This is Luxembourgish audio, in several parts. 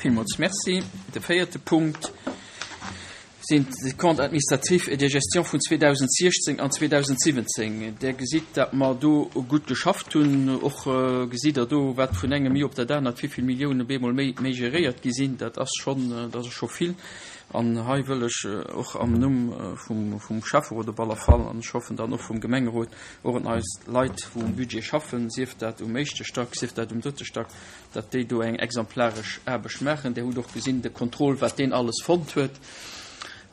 Villmools Merci. De véierte Punkt sinn d'Comptes administratifs et de gestion vun 2016 an 2017. Där gesitt, datt mer do gutt geschafft hunn. Och gesitt Der do, wat vun engem Joer op dat anert, wéi vill Milliounen op eemol méi méi geréiert gi sinn. Dat ass schonn, dat ass scho vill. An hei wëll ech och am Numm vum vum Schäfferot op aller Fall, an ech hoffen dann och vum Gemengerot, och un eis Leit, wou um Budget schaffen, sief dat um éischte Stack, sief dat um drëtte Stack, datt déi do eng exemplaresch Aarbecht maachen. Dir hutt och gesinn, de Contrôle, wat deen alles fonnt huet.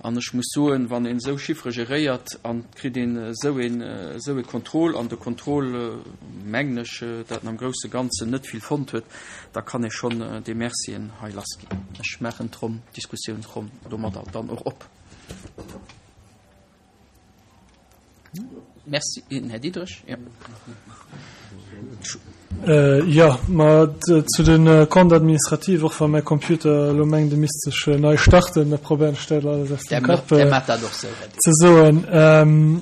An ech muss soen, wann een esou Chiffere geréiert an et kritt een esou een, esou e Contrôle, an de Contrôle, mengen ech, dat en am grousse Ganzen net vill fonnt huet, da kann ee schonn déi Mercien hei lassginn. Ech maachen d'Ronn, d'Diskussiounsronn domadder dann och op. Merci, Här Diderich. Ja. Äh, ja, ma zu den Comptes administratifs, och wa mäi Computer elo mengt, e misst sech äh, nei starten, da probéieren ech dat alles aus dem Kapp äh, ze soen. Ähm,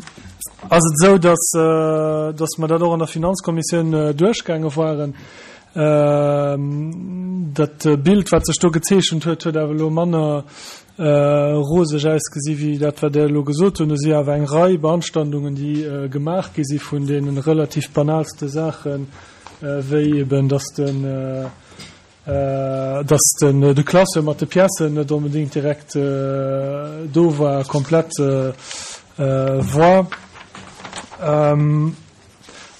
ass et esou, dass, äh, dass mer dat och an der Finanzkommissioun äh, duerchgaange waren. Ähm, dat Bild, wat sech do gezeechent huet, huet awer elo manner roseg ausgesi wéi dat, wat Der elo gesot hutt. Do si awer eng Rei Beanstandungen, déi gemaach gi si vun deene relativ banalste Saachen, wéi eben, dass den, dass den, de Classeur mat de Piècen net onbedéngt direkt do war, komplett war.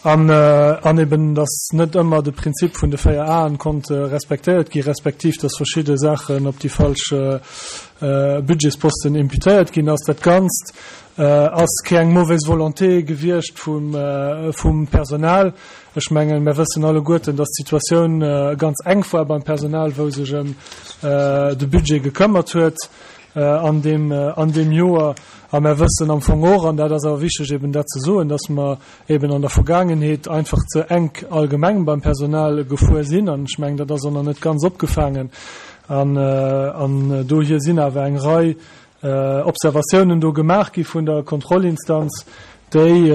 An, an eben, dass net ëmmer de Prinzip vun de 4 Aen konnt respektéiert gi respektiv dass verschidde Saachen op déi falsch Budgetsposten imputéiert ginn ass. Dat Ganzt ass keng mauvaise volonté gewiescht vum, vum Personal. Ech mengen, mir wëssen alleguerten, dass d'Situatioun ganz enk war beim Personal, wou sech ëm de Budget gekëmmert huet an deem, an deem Joer. A mer wëssen am Fong och, an dat ass awer wichteg eben dat ze soen, dass mer eben an der Vergaangenheet einfach ze enk allgemeng beim Personal gefuer sinn. An ech mengen, dat ass och nach net ganz opgefaangen. An, an dohier sinn awer eng Rei Observatiounen do gemaach gi vun der Kontrollinstanz, déi,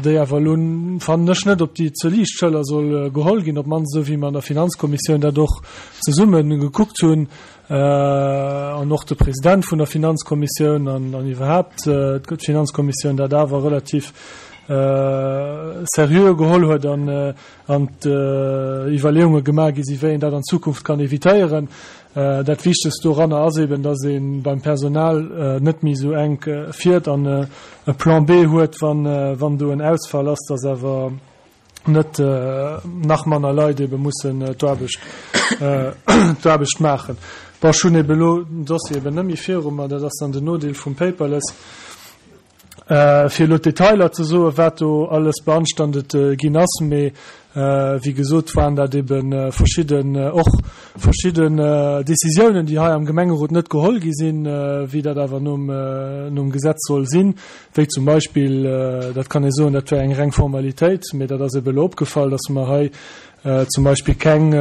déi awer elo, fannen ech, net op déi ze liicht Schëller soll geholl ginn, op d'mannst esou wéi mer an der Finanzkommissioun dat och zesumme gekuckt hunn. an och de President vun der Finanzkommissioun an an iwwerhaapt d'Finanzkommissioun dat awer relativ seriö geholl huet an an d'Iwwerleeunge gemaach gi si wéi een dat an Zukunft kann evitéieren. Dat Wichtegst doranner ass eben, datt ee beim Personal net méi esou enk fiert an e Plan B huet, wann wann do en Ausfall ass, datt awer net nach manner Leit ebe mussen d'Aarbecht d'Aarbecht maachen. Bon, ech hunn ebe elo den Dossier eben net méi viru mer, dat ass dann den Nodeel vum Paperless, fir elo d'Detailer ze soen, wat do alles beanstandet ginn ass. Mee wéi gesot waren dat ebe verschidden, och verschidden Décisiounen, déi hei am Gemengerot net geholl gi sinn, wéi dat awer nom nom Gesetz soll sinn. Wéi zum Beispill, dat kann ee soen, dat wär eng reng Formalitéit, mee dat ass ebe elo opgefall, dass mer hei zum Beispill keng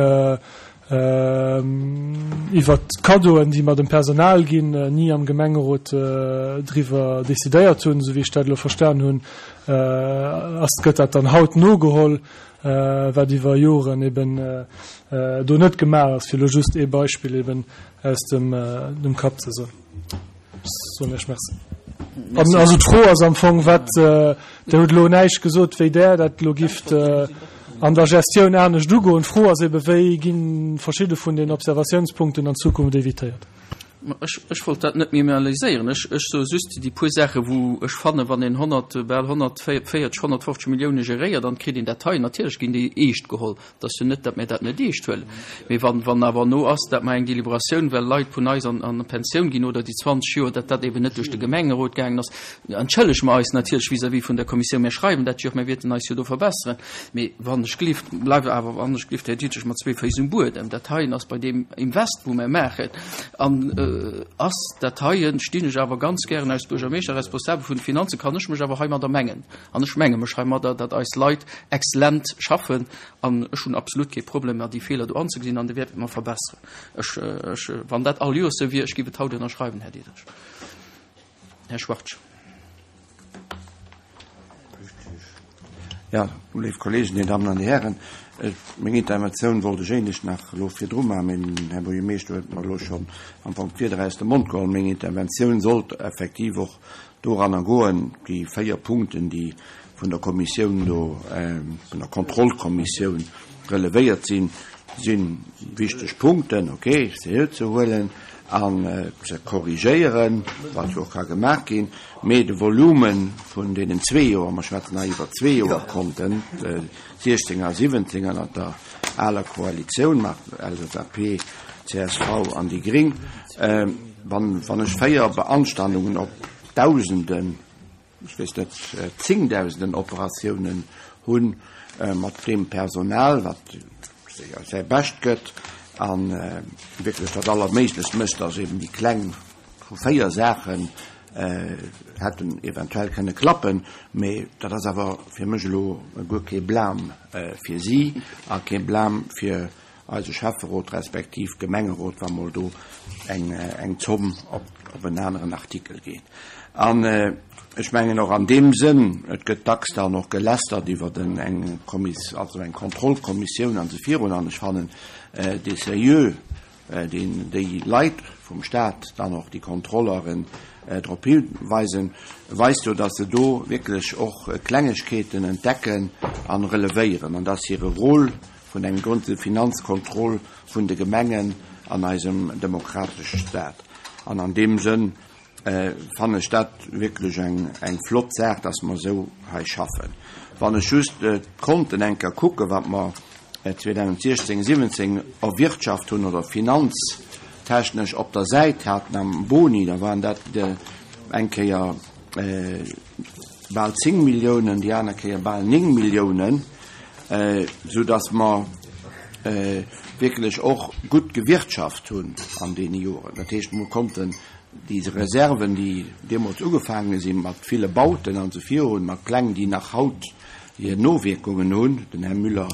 iwwert d'Kaddoen, déi mer dem Personal ginn, ni am Gemengerot driwwer decidéiert hunn. Esou wéi ech dat elo verstan hunn, ass, gëtt dat dann haut nogeholl, wat iwwer Joren eben do net gemaach ass, fir elo just ee Beispill eben aus dem Kapp ze soen. Soen ech Merci. An also d'Fro ass am Fong, wat, Der hutt elo näischt gesot, wéi Der dat elo gifft an der Gestioun anescht ugoen. D'Fro ass ebe, wéi gi verschidde vun den Observatiounspunkten an Zukunft évitéiert? Ech, ech wollt dat net minimaliséieren. Ech, ech soe just déi puer Saache wou ech fannen, wann een 100, bal 140, 150 Millioune geréiert an et kritt een dat hei, natierlech ginn déi eescht geholl. Et ass jo net, datt mir dat net eescht huelen. Mee wann, wann awer no ass, datt mer eng Deliberatioun, well Leit vun eis an, an Pensioun ginn oder déi 20 Joer, datt dat eben net duerch de Gemengerot gaangen ass, entschëllege mer eis natierlech vis-à-vis vun der Kommissioun. Mir schreiwen dat jo och, mir wierten eis jo do verbesseren. Mee wann ech glift, bleift awer, wann ech glift, Här Diderich, mat zwee Féiss um Buedem. Dat heien ass bei deem Invest, wou mer maachen, an ass dat heien, stinn ech awer ganz gären als Buergermeeschter, Responsabel vun de Finanzen, kann ech mech awer heimadder mengen. An ech menge mech heimadder, datt eis Leit exzellent schaffen an ech hunn absolut kee Problem, mer déi Feeler do anzegesinn an déi wäerte mer verbesseren. Ech, ech, wann dat all Joers esou wier, ech géif et haut ënnerschreiwen, Här Diderich. Här Schwartz. Jo, léif Kollegen, Dir Dammen an Dir Hären, meng Interventioun wollt ech éinescht nach elo virdru maachen, mee den Här Buergermeeschter huet mer elo schonn am Fong d'Wierder aus dem Mond geholl. Meng Interventioun sollt effektiv och doranner goen, déi 4 Punkten, déi vun der Kommissioun do, vun der Kontrollkommissioun relevéiert sinn, si wichteg Punkten, okay, seriö ze huelen an ze korrigéieren, wat jo och ka gemaach ginn. Mee de Volume vun deenen zwee Joer, mer schwätzen hei iwwer zwee Joer-Konten, 16 a 17 ënnert der aler Koalitioun mat LSAP, csv an déi gréng, wann ech 4 Beanstandungen op Dausenden, ech weess net, Zéngdausenden Operatiounen hunn, mat deem Personal, wat säi Bescht gëtt a wierklech dat Allerméiglechst mécht, dass eben déi kleng vu 4 Saachen hätten eventuell kënne klappen, mee dat ass awer fir mech elo guer kee Blâme fir si a kee Blâme fir eise Schäfferot respektiv Gemengerot, wa mol do eng Zomm op en aneren Artikel geet. An ech mengen och an deem Sënn, et gëtt dacks dann och gelästert iwwer eng Kommis-, also eng Kontrollkommissioun an esou virun, an ech fannen dee Seriö, deen déi Leit vum Stat, dann och déi Kontrolleuren drop hiweisen, weist jo, dass se do wierklech och Klengegkeeten entdecken an relevéieren an dass hire Rôle vun engem gudde Finanzkontroll vun de Gemengen an eisem demokratesche Stat. An an deem Sënn fannen ech dat wierklech eng flott Saach, dass mer esou hei schaffen. Wann ech just d'Konten eng Kéier kucken, wat mer 2016, 17 erwirtschaft hunn oder finanztechnesch op der Säit haten am Boni, da waren dat eng Kéier bal 10 Milliounen, déi aner Kéier bal 9 Milliounen, soudass mer wierklech och gutt gewirtschaft hunn an deene Joren. Dat heescht, mer konnten déi Reserven, déi deemools ugefaange si mat ville Bauten an esou virun, mat Pläng, déi nach haut hir Nowierkungen hunn, den Här Müller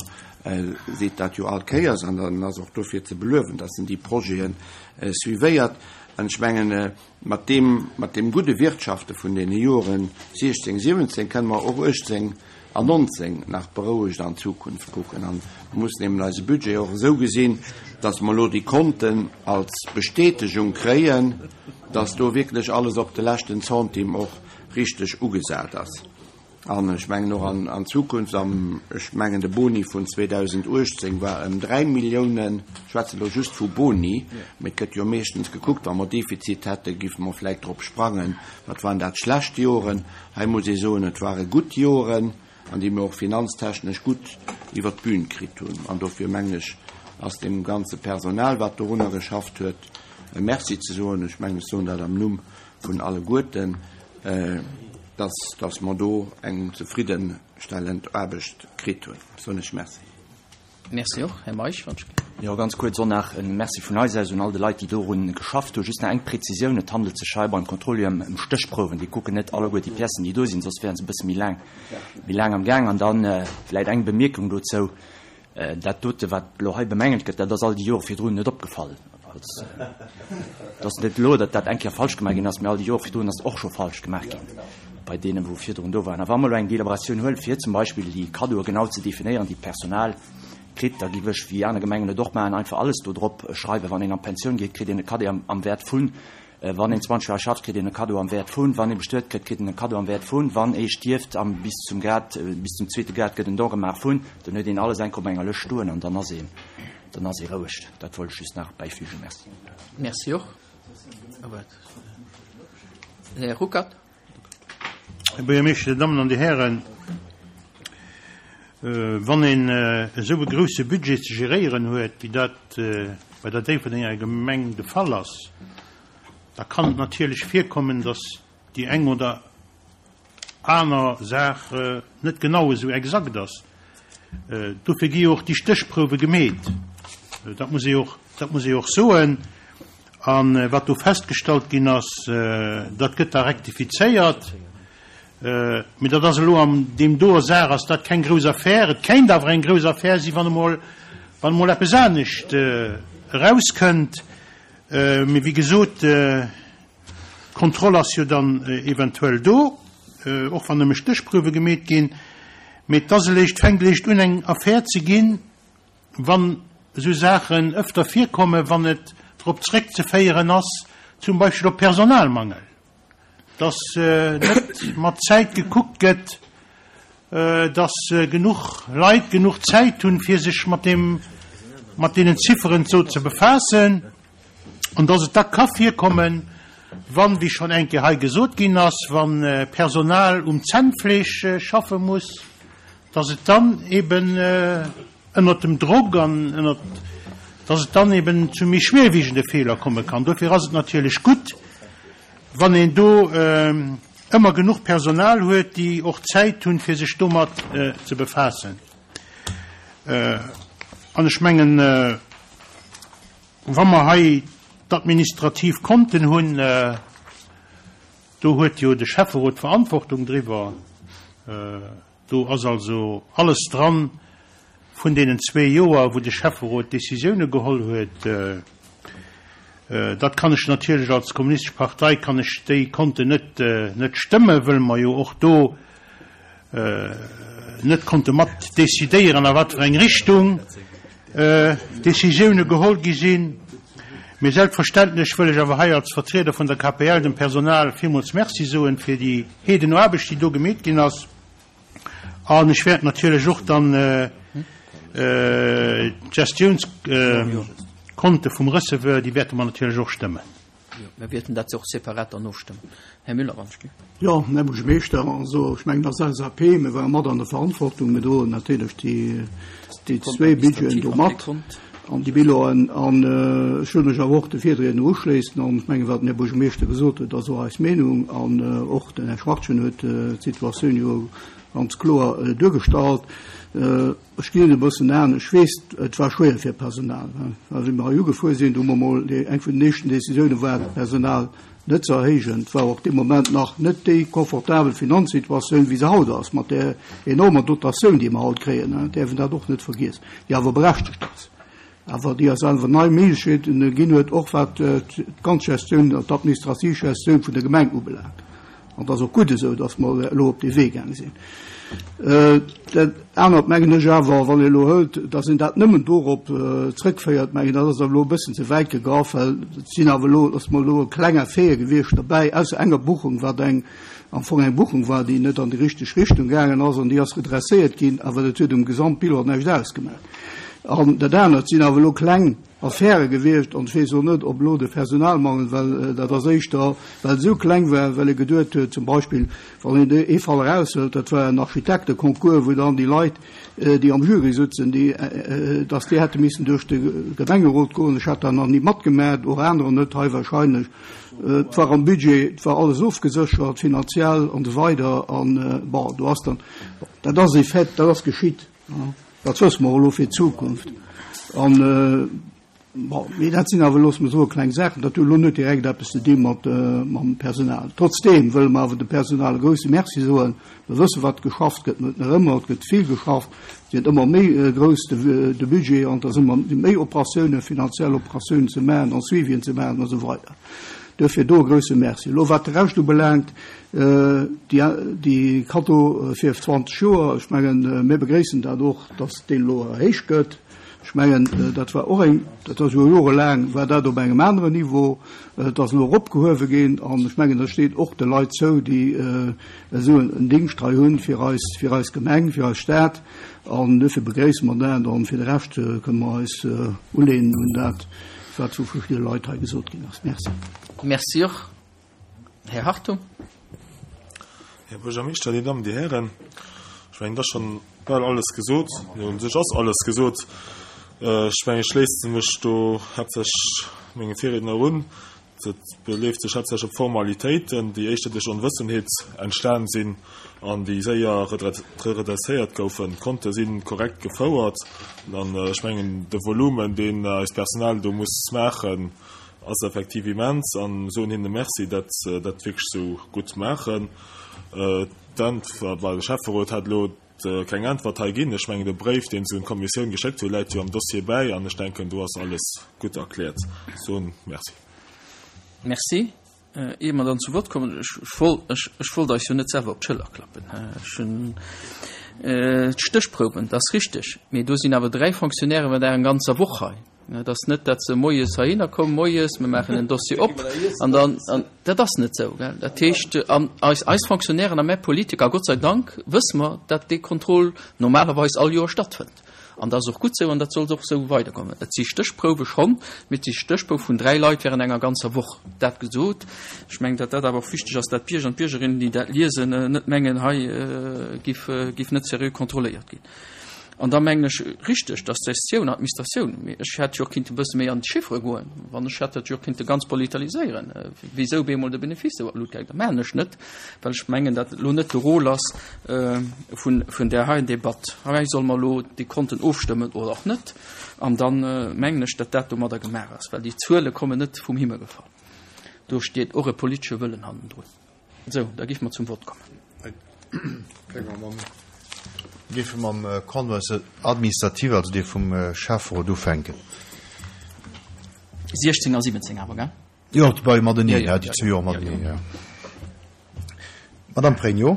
seet dat jo all Kéiers an en ass och dofir ze beluewen, dass en déi Projete suivéiert. An ech mengen, mat deem, mat deem gudde Wirtschafte vun deene Joren 16, 17 kënne mer och 18 an 19 nach berouegt an d'Zukunft kucken. An mer mussen eben eise Budget och esou gesinn, dass mer elo déi Konten als Bestätegung kréien, dass do wierklech alles op de leschten Centime och richteg ugesat ass. An ech mengen och an Zukunft, an ech mengen de Boni vun 2018 war ëm 3 Milliounen, ech schwätzen elo just vu Boni, mee et gëtt jo meeschtens gekuckt, wa mer Defizit hätten, géife mer vläicht drop sprangen, wat waren dat schlecht Joren. Hei muss ee soen, et ware gutt Joren, an déi mir och finanztechnesch gutt iwwert d'Bün kritt hunn. An dofir mengen ech, ass deem ganze Personal, wat dorunner geschafft huet, e Merci ze soen. Ech mengen, ech soen dat am Numm vun alleguerten, dass, dass mer do eng zefriddenstellend Aarbecht kritt hunn. Soen ech Merci. Merci och. Här Meisch, wann ech. Jo, ganz kuerz och nach e Merci vun eis aus un all de Leit, déi dorun geschafft hunn. Just nach eng Präzisioun, Et handelt sech hei beim Contrôle ëm Stéchprouwen. Déi kucken net alleguer déi Piècen, déi do sinn, soss wäre se e bësse méi laang, méi laang am Gaang. An dann vläicht eng Bemierkung dozou, Dat dote wat elo hei bemängelt gëtt, dat ass all déi Jore virdrun net opgefall. Et ass net elo, datt dat eng Kéier falsch gemaach ginn ass, mä all déi Jore virdrun ass et och scho falsch gemaach ginn bei deenen, wou virdrun do waren. A wa mer elo eng Deliberatioun huelen, fir zum Beispill déi Kaddoe genau ze definéieren, déi d'Personal kritt, da géif ech, wéi aner Gemengen et och maachen, einfach alles do drop schreiwen. Wann een an d'Pensioun geet, kritt een e Cadeau am Wäert vun Wann een 20 Joer schafft, kritt een e Kaddo am Wäert vun. Wann ee bestuet gëtt, kritt en e Kaddo am Wäert vun. Wann ee stierft, am bis zum Grad, bis zum zweete Grad gëtt en Don gemaach vun. Dann huet een alles enk op enger Lëscht stoen an dann ass een, dann ass ee roueg. Dat wollt ech just nach bäifügen. Merci. Merci och. Här Ruckert. Här Buergermeeschter, Dir Dammen an Dir Hären, wann een esou e grouse Budget ze geréieren huet, wéi dat bei der Déifferdenger Gemeng de Fall ass, da kann et natierlech virkommen, datt déi eng oder aner Saach net genau esou exakt ass. Dofir gi jo och déi Stéchprouwe gemeet. Dat muss ee och, dat muss ee och soen. A wat do festgestallt ginn ass, dat gëtt da rektifizéiert. Mee dat ass elo an deem doer Saach ass dat keng grouss Affär. Et kéint awer eng grouss Affär sinn, wann emol, wann emol eppes anescht erauskënnt. Mee wéi gesot, d'Kontroll ass jo dann eventuell do, och wann nëmme Stéchprouwe gemeet ginn. Mee et ass eréischt, fänkt eréischt un eng Affär ze ginn, wann esou Saachen ëfter virkommen, wann et drop zréckzeféieren ass, zum Beispill op Personalmangel, dass net mat Zäit gekuckt gëtt, dass genuch Leit genuch Zäit hunn, fir sech mat deem, mat deenen Zifferen do ze befaassen, an dass et da ka virkommen, wann, wéi schonn eng Kéier hei gesot ginn ass, wa Personal um Zännfleesch schaffe muss, dass et dann eben ënnert dem Drock an ënnert, dass et dann eben zu méi schwerwiegende Feeler komme kann. Dofir ass et natierlech gutt, wann een do ëmmer genuch Personal huet, déi och Zäit hunn, fir sech domat ze befaassen. An ech mengen, wa mer hei d'administrativ Konten hunn, do huet jo de Schäfferot d'Verantwortung driwwer. Do ass also alles dran vun deenen zwee Joer, wou de Schäfferot Décisioune geholl huet. Dat kann ech natierlech als Kommunistesch Partei kann ech déi Konten net net stëmmen, wëll mer jo och do net konnte mat decidéieren, a wat fir eng Richtung Décisioune geholl gi sinn. Mee selbstverständlech wëll ech awer hei als Vertrieder vun der KPL dem Personal villmools Merci soen fir déi Heedenaarbecht, déi do gemeet ginn ass. An ech wäert natierlech och dann d'Gestiounskonte vum Receveur, déi wäerte mer natierlech och stëmmen. Jo, mir wäerten dat och separat dann ofstëmmen. Här Müller, wann ech ginn. Jo, Här Buergermeeschter, also ech mengen als LSAP, mir ware mat an der Verantwortung, mir droen natierlech déi zwéi Budgeten do mat an déi Bilanen. An ech wëll mech awer och de Virriedner uschléissen an ech mengen, wat den Här Buergermeeschter gesot huet, ass och eis Meenung. An och den Här Schwachtgen huet d'Situatioun jo ganz kloer duergestallt. Ech ginn et e bëssen an. Ech weess, et war schwéier fir d'Personal. Well wéi mer hei ugefuer sinn, do hu mer emol, eng vun den éischten Décisioune war, d'Personal net ze erhéijen. Et war och dee Moment nach net déi confortabel Finanzsituatioun, wéi se haut ass, mat där enormer Dotatioun, déi mer haut kréien, et däerf een dat och net vergiessen, déi awer berechtegt ass, awer déi eis awer nei Méiglechkeeten ginn huet, och wat d'ganz Gestioun, d'administrativ Gestioun vun der Gemeng ubelaangt. An et ass och gutt esou, datt mer elo op dee Wee gaange sinn. Dat anert mengen ech awer, wann ee elo hëlt, datt een dat nëmmen dorop zrëckféiert, mengen dat ass awer elo e bëssen ze wäit gegraff, well et sinn awer elo, ass mer elo e kleng Affaire gewiescht derbäi, ausser enger Buchung, wat eng am Fong eng Buchung war, déi net an déi richteg Richtung gaangen ass an déi ass redresséiert ginn, awer dat huet um Gesamtbilan näischt ausgemaach. An dat anert sinn awer elo kleng Affäre gewiescht an ech weess och net, ob elo de Personalmangel, well dat ass éischter, well et esou kleng war, well ee geduet huet, zum Beispill, wann een ee Fall eraushëlt, dat war en Architekteconcours, wou dann déi Leit, déi am Jury sutzen, déi, dass déi hätte missen duerch de Gemengerot goen. Ech hat dat nach ni matgemaach, och anerer net hei wahrscheinlech. Et war am Budget, et war alles ofgeséchert, finanziell an esou weider an, bon, do ass dann, dat ass e Fait, dat ass geschitt. Dat wësse mer elo fir d'Zukunft. An, bon, mee dat sinn awer, loosse mer soen, kleng Saachen. Dat huet elo net direkt eppes ze di mat mam Personal. Trotzdeem wëlle mer awer dem Personal e grouse Merci soen. Mer wësse wat geschafft gëtt, net nach ëmmer, et gëtt vill geschafft, et gëtt ëmmer méi grouss de Budget an et ass ëmmer méi Operatiounen, finanziell Operatiounen ze maachen an Suivien ze maachen a sou weider. Duerfir do e grouse Merci. Elo wat de Rescht ubelaangt, déi Cadeau fir 20 Joer, ech mengen, mir begréissen dat och, datt deen elo erhéicht gëtt. Ech mengen, dat war och eng, dat ass jo jorelaang war dat op engem aneren Niveau, et ass elo eropgehuewe ginn an ech mengen, dat steet och de Leit zou, déi esou en Dingscht hei hunn fir eis, fir eis Gemeng, fir eis Stad. An duerfir begréisse mer dat an fir de Rescht kënne mer eis uleenen un dat, wat vu verschidde Leit hei gesot ginn ass. Merci. Merci och. Här Hartung. Här Buergermeeschter, Dir Dammen, Dir Hären, ech mengen, et ass schonn bal alles gesot. Jo, u sech ass alles gesot. Ech mengen, ech schléisse mech do haaptsächlech menge Virriedner un. Et beleeft sech haaptsächlech op Formalitéiten, déi éischter duerch Onwëssenheet entstan sinn an déi séier redresséiert goufen. D'Konte si korrekt gefouert an ech mengen, de Volumen, deen eist Personal do muss maachen, ass effektiv immens an soen hinne Merci, dat se dat wierklech esou gutt maachen. D'Äntwert, well de Schäfferot hat elo keng Äntwert hei ginn. Ech mengen, de Bréif, deen se un d'Kommissioun geschéckt hunn, läit jo am Dossier bäi an ech denken, do ass alles gutt erkläert. Soen Merci. Merci. Ier mer dann zu Wort kommen, ech wollt, ech wollt eis jo net selwer op d'Schëller klappen. Ech hunn. D'Stéchprouwen, dat ass richteg, mee do sinn awer 3 Fonctionnaire während enger ganzer Woch hei. Et ass net, datt se moies heihinner kommen, moies, mir maachen en Dossier op an dann, an dat ass net esou. Dat heescht, an eis, eis Fonctionnairen a mär Politiker, Gott sei Dank wësse mer, datt dee Contrôle normalerweis all Joer stattfënnt. An dat ass och gutt esou an dat soll och esou weidergoen. Et si Stéchprouwe schonn, mee et si Stéchprouwe vun 3 Leit während enger ganzer Woch. Dat gesot, ech mengen, datt dat awer och wichteg ass, datt d'Bierger an d'Biergerinnen, déi dat liesen, net mengen, hei giff, giff net seriö kontrolléiert ginn. An da mengen ech richteg, dass d'Gestioun, Administratioun, mee ech hätt jo och kinnte e bësse méi an d'Chiffere goen, wann ech hätt dat jo och kinnte ganz politaliséieren, wéisou bemol de Benefice esou an d'Lut gaangen. Dat maachen ech net, well ech mengen, dat elo net de Rôle ass vun, vun där heien Debatt. Hei solle mer elo déi Konten ofstëmmen oder och net. An da mengen ech, datt dat domadder gemaach ass, well déi Zuele kommen net vum Himmel gefall. Do steet och e politesche Wëllen hannendrun. Sou, da géife mer zum Vott kommen. Géife mam Compte administratif, also dee vum Schäfferot, ufänken. 16 a 17 awer, gell? Jo, déi mateneen, ja, déi zwou Joer mateneen, ja. Madame Pregno?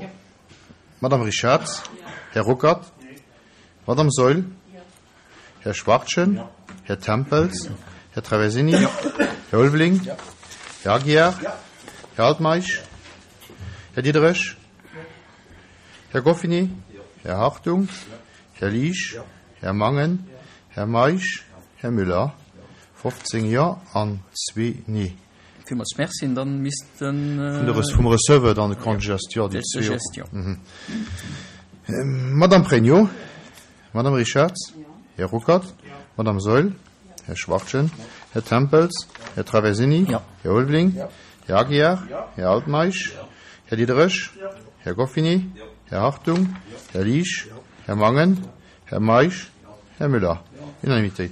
Madame Richard? Här Ruckert? Madame Saeul? Här Schwachtgen? Här Tempels? Här Traversini? Här Ulveling? Här Aguiar? Här Altmeisch? Här Diderich? Här Goffini? Här Hartung? Här Liesch? Här Mangen? Här Meisch? Här Müller? 15 Jo an zwee Nee. Villmools Merci. An dann misst den. Vum Receveur dann de Compte de gestion, déi zwee och. Madame Pregno? Madame Richarz? Här Ruckert? Madame Saeul? Här Schwachtgen? Här Tempels? Här Traversini? Här Ulveling? Här Aguiar? Här Altmeisch? Här Diderich? Här Goffini? Här Hartung? Här Liesch? Här Mangen? Här Meisch? Här Müller? Unanimitéit.